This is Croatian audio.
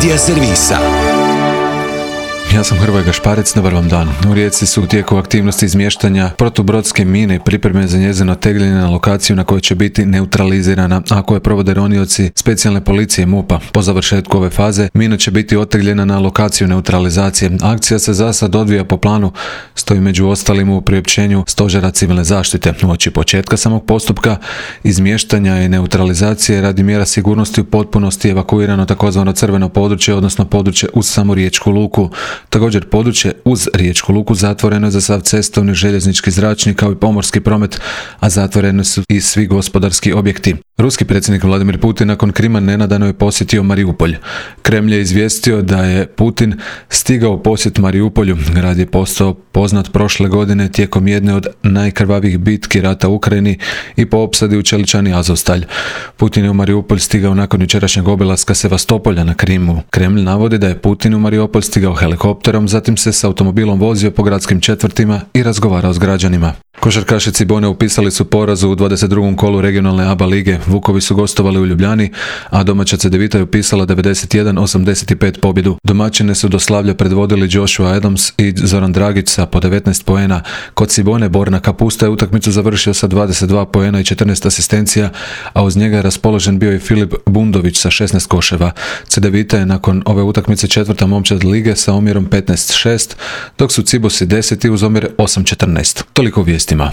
Medija servisa. Ja sam Hrvoje Gašparec, dobar vam dan. U Rijeci su u tijeku aktivnosti izmještanja protubrodske mine i pripreme za njezino tegljenje na lokaciju na kojoj će biti neutralizirana, a koje provode ronioci specijalne policije MUP-a. Po završetku ove faze, mina će biti otegljena na lokaciju neutralizacije. Akcija se za sad odvija po planu, stoji među ostalim u priopćenju Stožera civilne zaštite. Uoči početka samog postupka izmještanja i neutralizacije radi mjera sigurnosti u potpunosti evakuirano takozvano crveno područje, odnosno područje uz samu riječku luku. Također područje uz riječku luku zatvoreno je za sav cestovni, željeznički, zračni kao i pomorski promet, a zatvoreni su i svi gospodarski objekti. Ruski predsjednik Vladimir Putin nakon Krima nenadano je posjetio Mariupolj. Kremlj je izvijestio da je Putin stigao u posjet Mariupolju. Grad je postao poznat prošle godine tijekom jedne od najkrvavijih bitki rata u Ukrajini i po opsadi u Čeličani Azovstalj. Putin je u Mariupolj stigao nakon jučerašnjeg obilaska Sevastopolja na Krimu. Kremlj navodi da je Putin u Mariupolj stigao helikopterom, zatim se s automobilom vozio po gradskim četvrtima i razgovarao s građanima. Košarkaši Cibone upisali su poraz u 22. kolu regionalne ABA lige. Vukovi su gostovali u Ljubljani, a domaća Cedevita je upisala 91-85 pobjedu. Domaćine su do slavlja predvodili Joshua Adams i Zoran Dragić sa po 19 poena. Kod Cibone Borna Kapusta je utakmicu završio sa 22 poena i 14 asistencija, a uz njega je raspoložen bio i Filip Bundović sa 16 koševa. Cedevita je nakon ove utakmice četvrta momčad lige sa omjerom 15-6, dok su Cibosi 10 uz omjer 8-14. Toliko u vijestima.